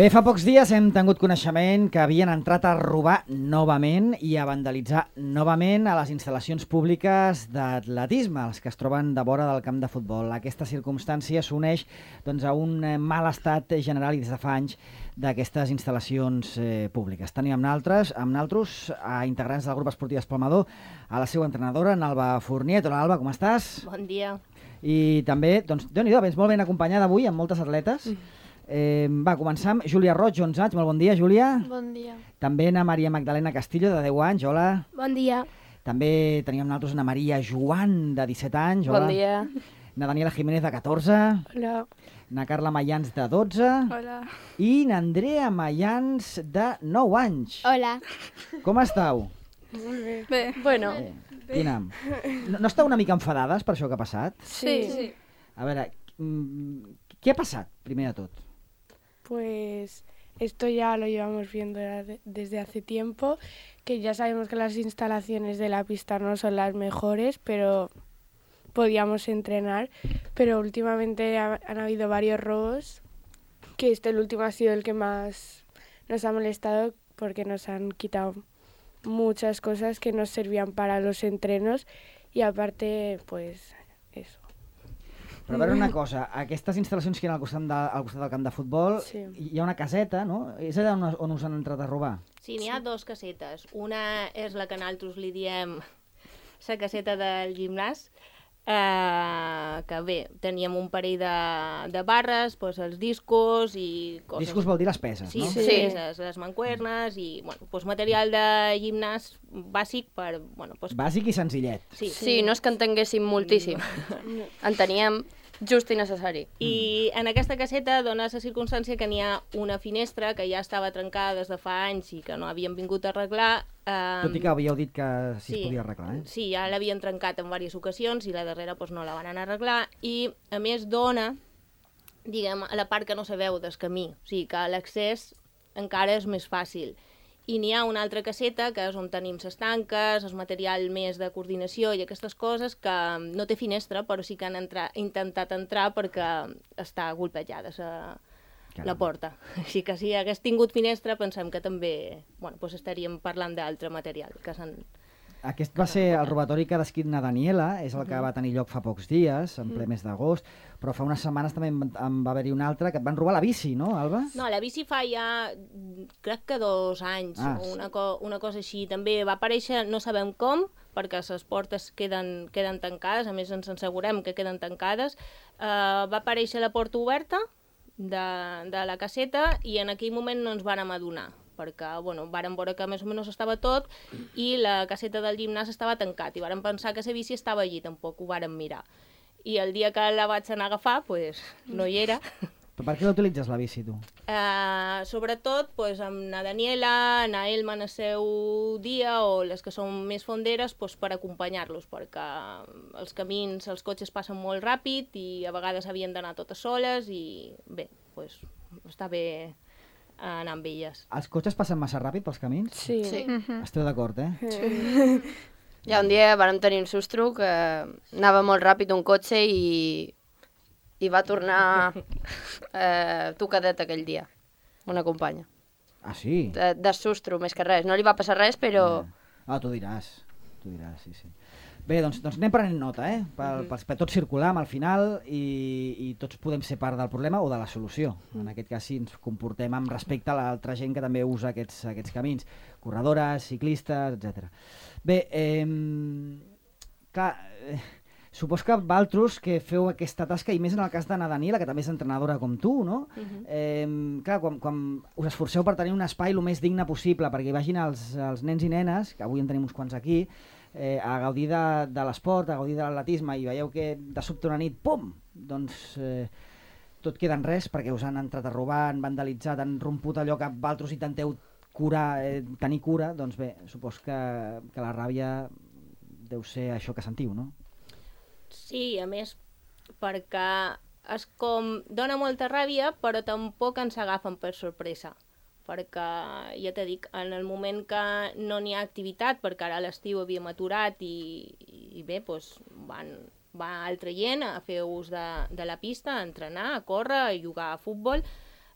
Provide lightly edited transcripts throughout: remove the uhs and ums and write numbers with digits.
Bé, fa pocs dies hem tingut coneixement que havien entrat a robar novament i a vandalitzar novament a les instal·lacions públiques d'atletisme, els que es troben de vora del camp de futbol. Aquesta circumstància s'uneix a un mal estat general i des de fa anys d'aquestes instal·lacions públiques. Tenim amb naltros a integrants del grup esportiu Espalmador, a la seva entrenadora, en Alba Fournier. Hola, Alba, com estàs? Bon dia. I també, Déu-n'hi-do, vens molt ben acompanyada avui amb moltes atletes. Va, començar amb Júlia Roig, 11 anys. Molt bon dia, Júlia. Bon dia. També na Maria Magdalena Castillo, de 10 anys. Hola. Bon dia. També teníem nosaltres na Maria Joan, de 17 anys. Hola. Bon dia. Na Daniela Jiménez, de 14. Hola. Na Carla Mayans, de 12. Hola. I na Andrea Mayans, de 9 anys. Hola. Com estàu? Molt bé. Bé. Bueno. Quina? No esteu una mica enfadades per això que ha passat? Sí. A veure, què ha passat, primer de tot? Pues esto ya lo llevamos viendo desde hace tiempo, que ya sabemos que las instalaciones de la pista no son las mejores, pero podíamos entrenar. Pero últimamente han habido varios robos, que el último ha sido el que más nos ha molestado porque nos han quitado muchas cosas que nos servían para los entrenos y aparte, pues eso. Però a veure una cosa, aquestes instal·lacions que hi ha al costat del camp de futbol, Sí. hi ha una caseta, no? És allà on us han entrat a robar? Sí, n'hi ha dos casetes. Una és la que nosaltres li diem la caseta del gimnàs, que bé, teníem un parell de barres, doncs els discos i coses. Discos vol dir les peses, Sí, no? sí, les mancuernes i doncs material de gimnàs bàsic per... Bàsic i senzillet. Sí, no és que en tinguéssim moltíssim. En teníem just i necessari. I en aquesta caseta dona la circumstància que n'hi ha una finestra que ja estava trencada des de fa anys i que no havien vingut a arreglar. Tot i que havíeu dit que sí es podia arreglar, eh? Sí, ja l'havien trencat en diverses ocasions i la darrera no la van anar a arreglar i a més dona, diguem, a la part que no se veu del camí, o sigui que l'accés encara és més fàcil. I n'hi ha una altra caseta, que és on tenim les tanques, el material més de coordinació i aquestes coses, que no té finestra, però sí que han intentat entrar perquè està golpejada la porta. Així que si hagués tingut finestra, pensem que també estaríem parlant d'altre material que s'han... Aquest va ser el robatori que ha descrit na Daniela, és el que va tenir lloc fa pocs dies, en ple mes d'agost, però fa unes setmanes també en va haver-hi un altre, que et van robar la bici, no, Alba? No, la bici fa ja, crec que 2 anys, una cosa així. També va aparèixer, no sabem com, perquè les portes queden tancades, a més ens assegurem que queden tancades. Va aparèixer la porta oberta de la caseta i en aquell moment no ens vàrem adonar, perquè vàrem veure que més o menys estava tot i la caseta del gimnàs estava tancat i vàrem pensar que la bici estava allí, tampoc ho vàrem mirar. I el dia que la vaig anar a agafar, no hi era. Però per què l'utilitzes, la bici, tu? Sobretot amb na Daniela, na Elma en el seu dia o les que són més fonderes per acompanyar-los, perquè els camins, els cotxes passen molt ràpid i a vegades havien d'anar totes soles i bé, està bé anar amb elles. Els cotxes passen massa ràpid pels camins? Sí. Esteu d'acord, eh? Sí. Ja un dia vam tenir un sustro que anava molt ràpid un cotxe i va tornar tocadet aquell dia, una companya. Ah, sí? De sustro, més que res. No li va passar res, però... Tu diràs, sí. Bé, doncs anem prenent nota, per tot circular al final i tots podem ser part del problema o de la solució. En aquest cas, si ens comportem amb respecte a l'altra gent que també usa aquests camins, corredores, ciclistes, etc. Bé, clar, supos que vosaltres que feu aquesta tasca, i més en el cas de na Daniela, que també és entrenadora com tu, no? Clar, quan us esforceu per tenir un espai el més digne possible perquè hi vagin els nens i nenes, que avui en tenim uns quants aquí, a gaudir de l'esport, a gaudir de l'atletisme, i veieu que de sobte una nit, pum, doncs tot queda en res perquè us han entrat a robar, han vandalitzat, han romput allò que vosaltres intenteu tenir cura, doncs bé, supos que la ràbia deu ser això que sentiu, no? Sí, a més, perquè és com... dona molta ràbia, però tampoc ens agafen per sorpresa. Perquè, ja t'he dit, en el moment que no n'hi ha activitat, perquè ara a l'estiu havíem aturat i bé, va altra gent a fer ús de la pista, a entrenar, a córrer, a jugar a futbol,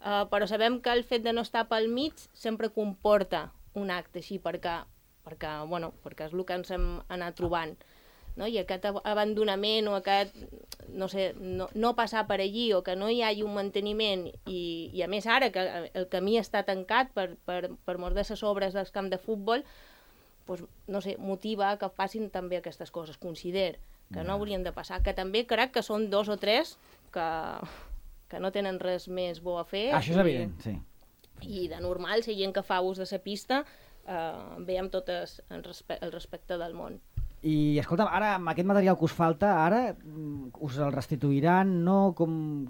però sabem que el fet de no estar pel mig sempre comporta un acte així, perquè és el que ens hem anat trobant. No? I aquest abandonament o aquest, no sé, no passar per allí o que no hi hagi un manteniment i a més ara que el camí està tancat per mort de les obres del camp de futbol, doncs, no sé, motiva que facin també aquestes coses, consider que no haurien de passar, que també crec que són 2 o 3 que no tenen res més bo a fer. Això és evident, sí. I de normal, si gent que fa ús de la pista, veiem tot el respecte del món. I, escolta'm, ara, amb aquest material que us falta, ara us el restituiran, no? Com...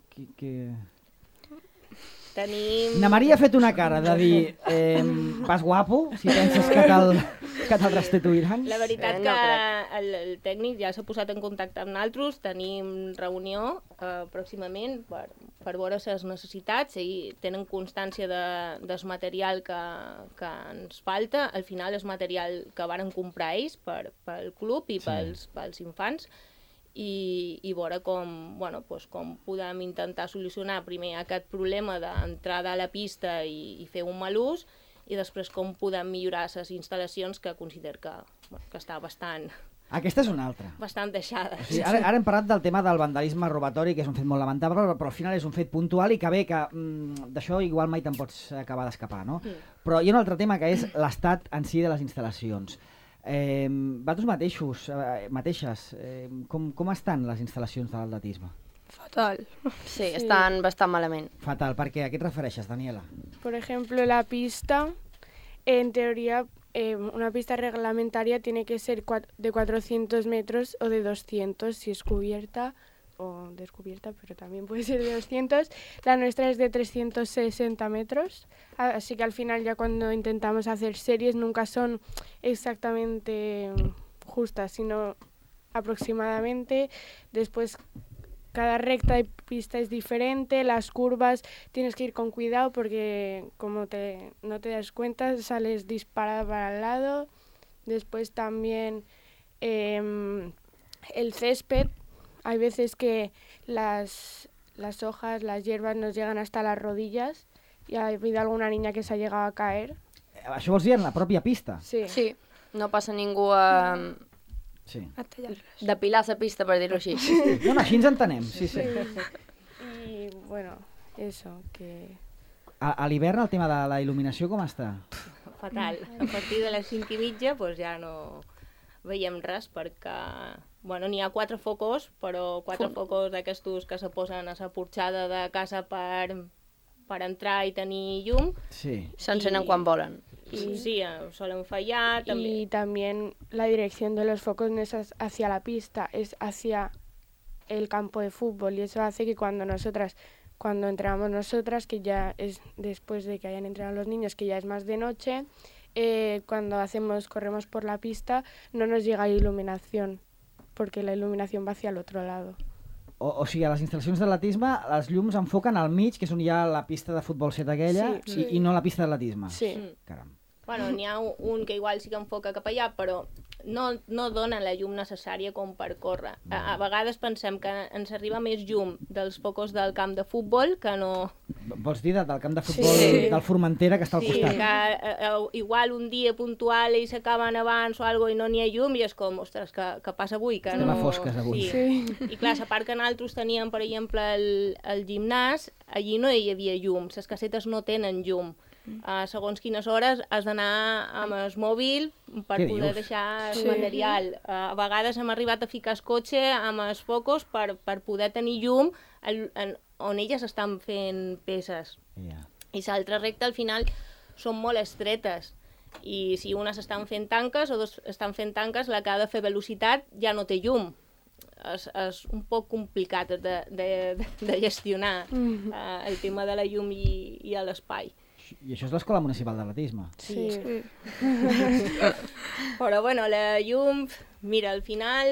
Tenim... Na Maria ha fet una cara de dir vas guapo, si penses que te'l restituiran. La veritat que el tècnic ja s'ha posat en contacte amb nosaltres, tenim reunió pròximament per veure les necessitats i tenen constància del material que ens falta. Al final és material que varen comprar ells pel club i pels infants, i veure com podem intentar solucionar primer aquest problema d'entrada a la pista i fer un mal ús, i després com podem millorar les instal·lacions, que considero que està bastant... Aquesta és una altra. Bastant deixada. O sigui, ara hem parlat del tema del vandalisme robatori, que és un fet molt lamentable, però al final és un fet puntual i que bé, que d'això igual mai te'n pots acabar d'escapar, no? Però hi ha un altre tema, que és l'estat en si de les instal·lacions. Vosaltres mateixes, com estan les instal·lacions de l'atletisme? Fatal. Sí, estan bastant malament. Fatal, perquè a què et refereixes, Daniela? Por ejemplo, la pista, en teoría, una pista reglamentaria tiene que ser de 400 metros o de 200 si es cubierta o descubierta, pero también puede ser de 200. La nuestra es de 360 metros, así que al final ya cuando intentamos hacer series nunca son exactamente justas, sino aproximadamente. Después cada recta de pista es diferente, las curvas tienes que ir con cuidado porque como no te das cuenta sales disparada para el lado. Después también el césped. Hay veces que las hojas, las hierbas nos llegan hasta las rodillas y ha habido alguna niña que se ha llegado a caer. Això vols dir en la pròpia pista? Sí. Sí, no passa ningú a depilar la pista, per dir-ho així. No, així ens entenem, sí. Y bueno, eso, que... A l'hivern el tema de la il·luminació com està? Fatal. A partir de les 5:30 doncs ja no veiem res perquè... Bueno, n'hi ha 4 focus, però 4 focus d'aquestos que se posen a la porxada de casa per entrar i tenir llum. Sí. S'encenen quan volen. Sí, solen fallar. Y también la dirección de los focos no es hacia la pista, es hacia el campo de fútbol. Y eso hace que cuando entrenamos nosotras, que ya es después de que hayan entrenado los niños, que ya es más de noche, cuando corremos por la pista, no nos llega iluminación, porque la il·luminació va hacia el otro lado. O sigui, a les instal·lacions d'atletisme, els llums enfoquen al mig, que és on hi ha la pista de futbol 7 aquella, i no la pista d'atletisme. Sí. Caram. Bueno, n'hi ha un que igual sí que enfoca cap allà, però no dona la llum necessària com per córrer. A vegades pensem que ens arriba més llum dels focus del camp de futbol que no... Vols dir del camp de futbol del Formentera, que està al costat? Sí, que igual un dia puntual ells s'acaben abans o alguna i no n'hi ha llum i és com, ostres, què passa avui? Que estem a fosques avui. Sí. I clar, a part que nosaltres teníem, per exemple, el gimnàs, allí no hi havia llum, les casetes no tenen llum. Segons quines hores has d'anar amb el mòbil per poder deixar el material. A vegades hem arribat a ficar el cotxe amb els focus per poder tenir llum on elles estan fent peces. I l'altra recta al final són molt estretes i si unes estan fent tanques o dos estan fent tanques, la que ha de fer velocitat ja no té llum. És un poc complicat de gestionar el tema de la llum i l'espai. I això és l'Escola Municipal d'Atletisme. Sí. Però bueno, la llum, mira, al final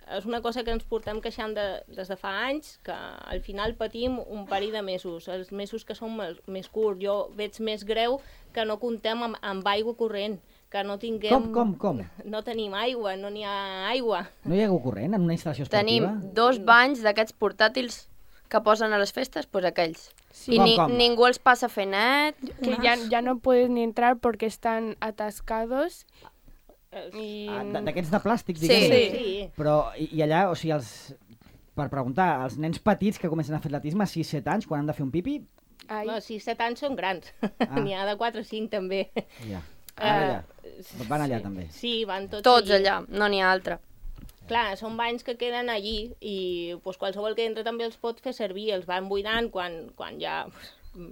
és una cosa que ens portem queixant des de fa anys, que al final patim un parell de mesos, els mesos que són més curts. Jo veig més greu que no comptem amb aigua corrent, que no tinguem... Com? No tenim aigua, no n'hi ha aigua. No hi ha aigua corrent en una instal·lació esportiva? Tenim 2 banys d'aquests portàtils que posen a les festes, pues aquells. Sí. I Com? ningú els passa a fer net. Que ya no puedes ni entrar porque están atascados. Y... D'aquests de plàstic, Sí. diguem. Sí. Però, i allà, o sigui, per preguntar, els nens petits que comencen a fer atletisme a 6-7 anys, quan han de fer un pipi, ahí. No, 6-7 anys són grans. N'hi ha de 4 o 5 també. ja. Allà. Van allà també. Sí, van Tots allà, no n'hi ha altre. Clar, són banys que queden allí i pues, qualsevol que entra també els pot fer servir, els van buidant quan ja...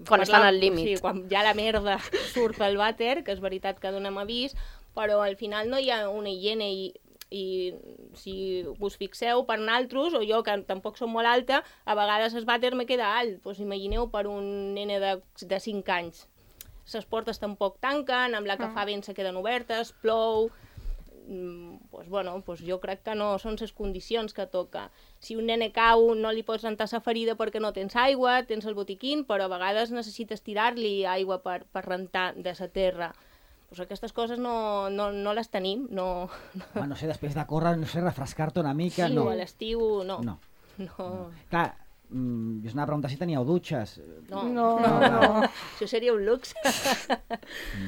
Quan estan al límit. Sí, quan ja la merda surt pel vàter, que és veritat que donem avís, però al final no hi ha una higiene i si us fixeu, per naltros, o jo que tampoc som molt alta, a vegades el vàter me queda alt. Pues imagineu per un nene de 5 anys. Les portes tampoc tanquen, amb la que fa vent se queden obertes, plou... Pues bueno, pues jo crec que no són les condicions que toca. Si un nene cau no li pots rentar la ferida perquè no tens aigua, tens el botiquín, però a vegades necessites tirar-li aigua per rentar de la terra. Pues aquestes coses no les tenim. No sé, després de córrer, no sé, refrescar-te una mica, sí, no. o a l'estiu, no. Clar, jo us anava a preguntar si teníeu dutxes. No. Això seria un luxe.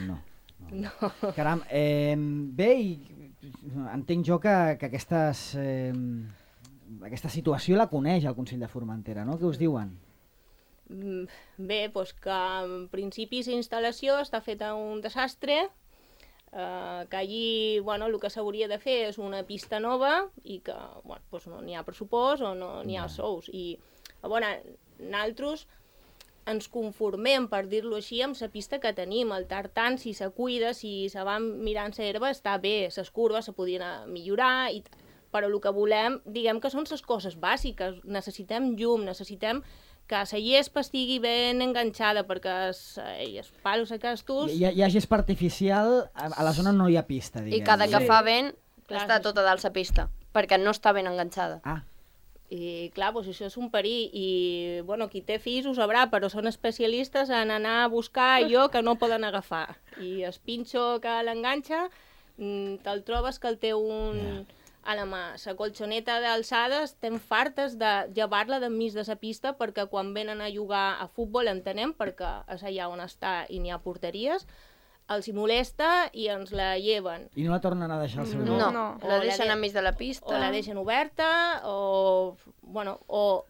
No. Caram, bé, i entenc jo que aquesta situació la coneix el Consell de Formentera, no? Què us diuen? Bé, doncs que en principi la instal·lació està feta un desastre, que allí el que s'hauria de fer és una pista nova i que no n'hi ha pressupost o no n'hi ha sous. I nosaltres ens conformem, per dir-lo així, amb la pista que tenim. El tartan, si se cuida, si se va mirant la herba, està bé. Les curves se podien millorar, però el que volem, diguem que són les coses bàsiques. Necessitem llum, necessitem que la gespa estigui ben enganxada, perquè els palos aquests... Hi ha gespa artificial a la zona on no hi ha pista, diguem. I cada que fa vent està tota dalt la pista, perquè no està ben enganxada. I clar, doncs això és un perill i qui té fills ho sabrà, però són especialistes en anar a buscar allò que no poden agafar. I el pinxo que l'enganxa, te'l trobes que el té a la mà. La colxoneta d'alçada estem fartes de llevar-la d'enmig de la pista perquè quan venen a jugar a futbol entenem, perquè és allà on està i n'hi ha porteries, els hi molesta i ens la lleven. I no la tornen a deixar al seu lloc? No, la deixen enmig de la pista. O la deixen oberta, o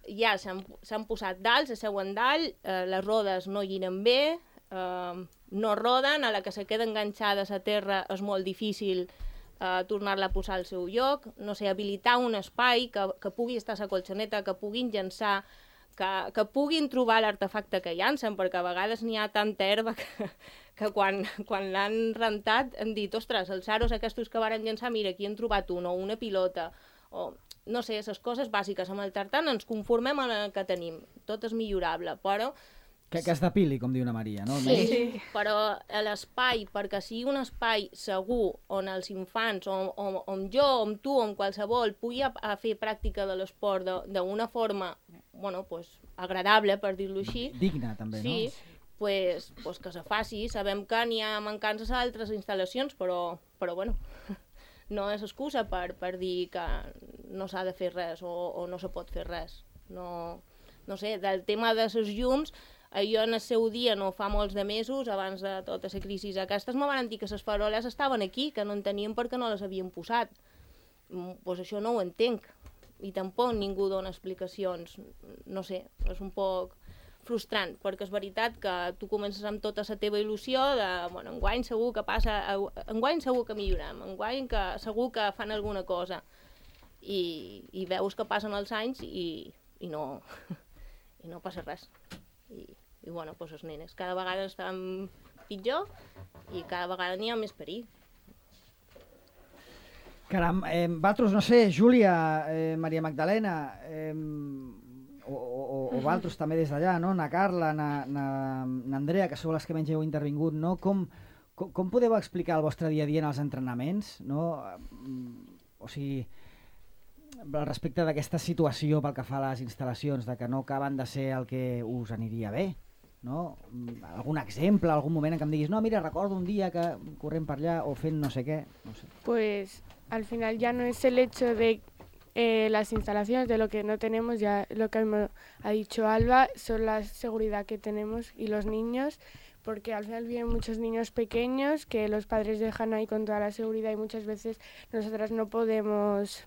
ja s'han posat dalt, s'asseuen dalt, les rodes no giren bé, no roden, a la que se queda enganxada a la terra és molt difícil tornar-la a posar al seu lloc, no sé, habilitar un espai que pugui estar a la colxoneta, que puguin llançar, que puguin trobar l'artefacte que llancen, perquè a vegades n'hi ha tanta herba que quan l'han rentat han dit, ostres, els aros aquests que varen llançar, mira, aquí han trobat un, o una pilota, o no sé, les coses bàsiques. Amb el tartan ens conformem amb el que tenim, tot és millorable, però... Que es depili, com diu una Maria, no? Sí, però l'espai, perquè sigui un espai segur on els infants, on jo, on tu, on qualsevol, pugui fer pràctica de l'esport d'una forma agradable, per dir-lo així. Digna, també, no? Sí, pues que se faci. Sabem que n'hi ha mancances a altres instal·lacions, però no és excusa per dir que no s'ha de fer res o no se pot fer res. No sé, del tema de les llums, jo en el seu dia, no fa molts de mesos, abans de tota la crisi aquestes, me van dir que les faroles estaven aquí, que no en tenien perquè no les havien posat. Doncs això no ho entenc. I tampoc ningú dona explicacions. No sé, és un poc frustrant, perquè és veritat que tu comences amb tota la teva il·lusió de, enguany segur que passa, enguany segur que millorem, enguany que segur que fan alguna cosa. I veus que passen els anys i no passa res. I els nenes cada vegada estan pitjor i cada vegada n'hi ha més perill. Caram, vosaltres, no sé, Júlia, Maria Magdalena, o vosaltres també des d'allà, no? Na Carla, na Andrea, que sou les que menys heu intervingut, no? Com podeu explicar el vostre dia a dia en els entrenaments, no? O sigui, respecte d'aquesta situació pel que fa a les instal·lacions, de que no acaben de ser el que us aniria bé, no? Algun exemple, algun moment en què em diguis, no, mira, recordo un dia que corrent per allà o fent no sé què, no sé. Pues al final ya no es el hecho de las instalaciones. De lo que no tenemos, ya lo que ha dicho Alba, son la seguridad que tenemos y los niños, porque al final vienen muchos niños pequeños que los padres dejan ahí con toda la seguridad y muchas veces nosotras no podemos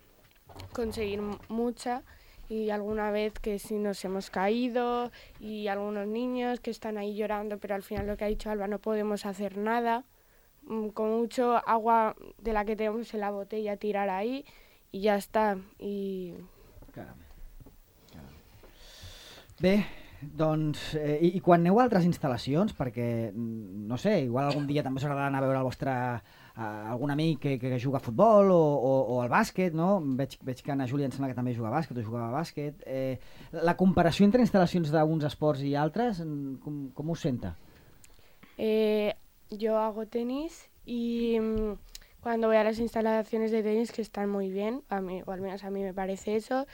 conseguir mucha, y alguna vez que sí nos hemos caído y algunos niños que están ahí llorando, pero al final lo que ha dicho Alba, no podemos hacer nada. Con mucho agua de la que tenemos en la botella tirar ahí i ja està. Caram. Bé, doncs, i quan aneu a altres instal·lacions, perquè, no sé, igual algun dia també us agradarà anar a veure el vostre algun amic que juga a futbol o al bàsquet, no? Veig que Ana Júlia em sembla que també juga a bàsquet o jugava a bàsquet. La comparació entre instal·lacions d'uns esports i altres, com us senta? Yo hago tenis y cuando voy a las instalaciones de tenis, que están muy bien, a mí, o al menos a mí me parece eso,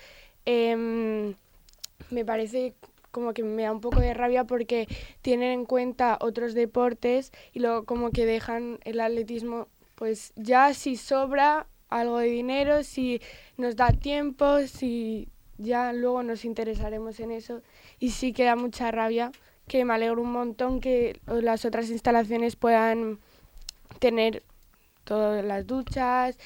me parece como que me da un poco de rabia porque tienen en cuenta otros deportes y luego como que dejan el atletismo, pues ya si sobra algo de dinero, si nos da tiempo, si ya luego nos interesaremos en eso, y sí que da mucha rabia, que me alegro un montón que las otras instalaciones puedan tener todas las duchas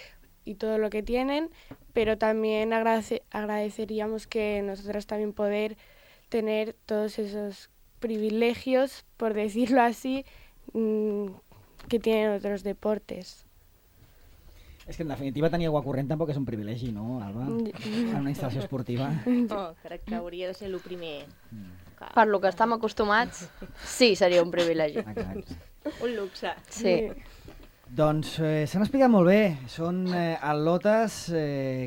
y todo lo que tienen, pero también agradeceríamos que nosotras también poder tener todos esos privilegios, por decirlo así, que tienen otros deportes. És que en definitiva tenir aigua corrent tampoc és un privilegi, no, Alba? En una instal·lació esportiva. Oh, crec que hauria de ser el primer. Per lo que estem acostumats, sí, seria un privilegi. Exacte. Un luxe. Sí. Doncs s'han explicat molt bé. Són atletes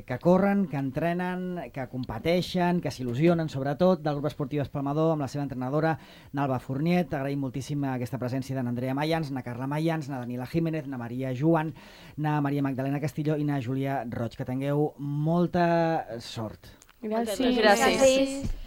que corren, que entrenen, que competeixen, que s'il·lusionen, sobretot, del grup esportiu Espalmador, amb la seva entrenadora, Nalba Fourniet. Agraïm moltíssim aquesta presència de n'Andrea Mayans, na Carla Mayans, na Daniela Jiménez, na Maria Joan, na Maria Magdalena Castillo i na Júlia Roig. Que tingueu molta sort. Gràcies. Gràcies.